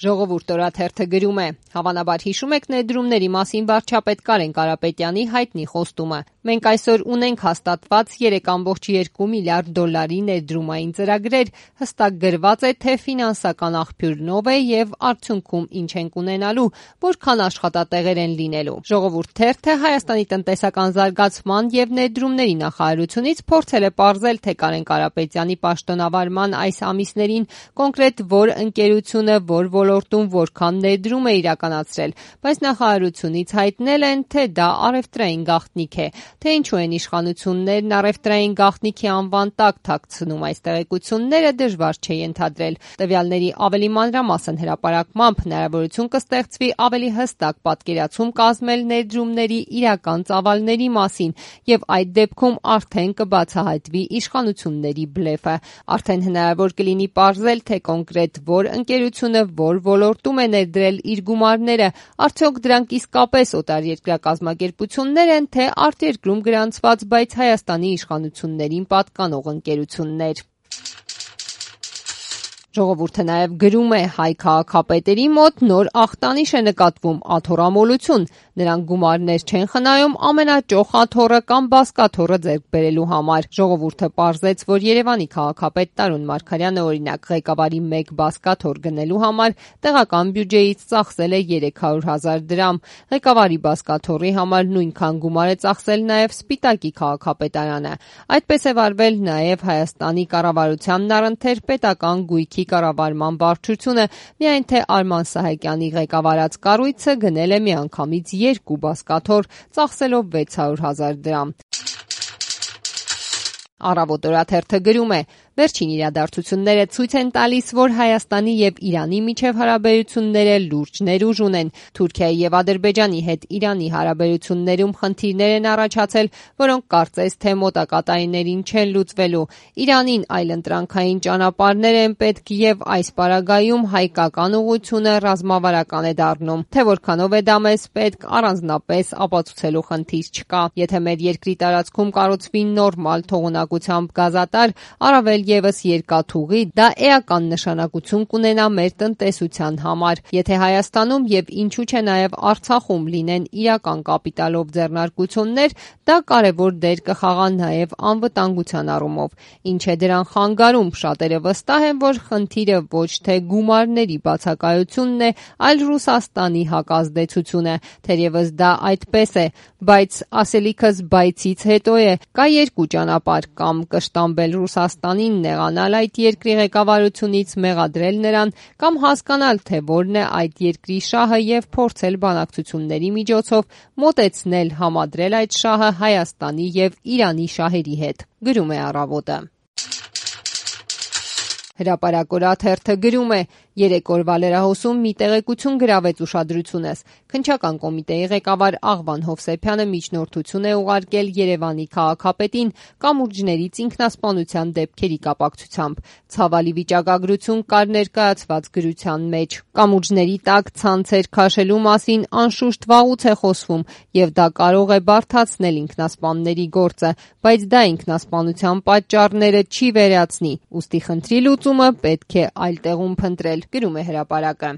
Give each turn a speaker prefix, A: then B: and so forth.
A: Ժողովուրդ օրաթերթը գրում է. հավանաբար հիշում եք ներդրումների մասին վարչապետ Կարեն Կարապետյանի հայտնի խոստումը. մենք այսօր ունենք հաստատված 3,2 միլիարդ դոլարի ներդրումային ծրագրեր, հստակ գրված է, թե ֆինանսական աղբյուրն ով է եւ արդյունքում ինչ ենք ունենալու, որքան աշխատատեղեր են լինելու։ Ժողովուրդ թերթը Հայաստանի տնտեսական զարգացման եւ ներդրումների նախարարությունից փորձել է պարզել, թե Կարեն Կարապետյանի պաշտոնավարման այս ամիսներին կոնկրետ որ ընկերությունը, որ ոլորտում որքան ներդրում է իրականացրել, բայց նախարարությունից հայտնել են, թե դա առևտրային գաղտնիք է, թե ինչու են իշխանություններն առևտրային գաղտնիքի անվան տակ թաքցնում այս տեղեկությունները դժվար չէ ենթադրել։ Տվյալների ավելի մանրամասն հրապարակմամբ հնարավորություն կստեղծվի ավելի հստակ պատկերացում կազմել ներդրումների իրական ծավալների մասին եւ այդ դեպքում արդեն կբացահայտվի իշխանությունների բլեֆը։ Արդեն հնարավոր կլինի պարզել, թե կոնկրետ որ ընկերությունը որ ոլորտում է ներդրել իր գումարները, արդյոք դրանք իսկապես օտարերկրյա կազմակերպություններ են, թե արտերկրում գրանցված, բայց Հայաստանի իշխանություններին պատկանող ընկերություններ։ Ժողովուրդը նաև գրում է. հայ քաղաքապետերի մոտ նոր ախտանիշ է նկատվում՝ աթոռամոլություն։ Նրանք գումարներ չեն խնայում ամենաճոխ աթոռը կամ բազկաթոռը ձեռք բերելու համար։ Ժողովուրդը պարզեց, որ Երևանի քաղաքապետ Տարոն Մարգարյանը օրինակ ղեկավարի 1 բազկաթոռ գնելու համար տեղական բյուջեից ծախսել է 300,000 դրամ։ Ղեկավարի բազկաթոռի համար նույնքան գումար է ծախսել նաև Սպիտակի քաղաքապետարանը։ Այդպես է վարվել նաև Հայաստանի կառավարությանն առընթեր պետական գույքի կառավարման վարչությունը, միայն թե Արման Սահակյանի ղեկավարած կառույցը գնել է միանգամից 2 բազկաթոռ, ծախսելով 600,000 դրամ։ Առավոտ օրաթերթը գրում է. վերջին իրադարձությունները ցույց են տալիս, որ Հայաստանի եւ Իրանի միջև հարաբերությունները լուրջ ներուժ ունեն։ Թուրքիայի եւ Ադրբեջանի հետ Իրանի հարաբերություններում խնդիրներ են առաջացել, որոնք կարծես թե մոտակա տարիներին չեն լուծվելու։ Իրանին այլընտրանքային ճանապարհներ են պետք եւ այս պարագայում հայկական ուղղությունը ռազմավարական է դառնում։ Թե որքանով է դա մեզ պետք, առանձնապես ապացուցելու խնդիր չկա։ Եթե մեր երկրի տարածքում կառուցվի նորմալ թողունակությամբ գազատար, առավել եւս երկաթուղի, դա էական նշանակություն կունենա մեր տնտեսության համար։ Եթե Հայաստանում եւ ինչու՞ չէ նաեւ Արցախում լինեն իրական կապիտալով ձեռնարկություններ, դա կարեւոր դեր կխաղա նաեւ անվտանգության առումով։ Ինչ է դրան խանգարում, շատերը վստահ են, որ խնդիրը ոչ թե գումարների բացակայությունն է, այլ Ռուսաստանի հակազդեցությունը։ Թերևս դա այդպես է, բայց ասելիքս բայցից հետո է, կա 2 ճանապարհ՝ կամ կշտամբել Ռուսաստանին նեղանալ այդ երկրի ղեկավարությունից, մեղադրել նրան, կամ հասկանալ, թե որն է այդ երկրի շահը եւ փորձել բանակցությունների միջոցով մոտեցնել համադրել այդ շահը Հայաստանի եւ Իրանի շահերի հետ։ Գրում է Առավոտը։ Հրապարակ օրաթերթը գրում է. 3 օրվա լրահոսում մի տեղեկություն գրավեց ուշադրությունս։ Քննչական կոմիտեի ղեկավար Աղվան Հովսեփյանը միջնորդություն է ուղարկել Երևանի քաղաքապետին կամուրջներից ինքնասպանության դեպքերի կապակցությամբ։ Ցավալի վիճակագրություն կար ներկայացված գրության մեջ։ Կամուրջների տակ ցանցեր քաշելու մասին անշուշտ վաղուց է խոսվում, եւ դա կարող է բարդացնել ինքնասպանների գործը, բայց դա ինքնասպանության պատճառները չի վերացնի։ Ուստի խնդրի լուծումը պետք է այլ տեղում փնտրել։ Գրում է Հրապարակը։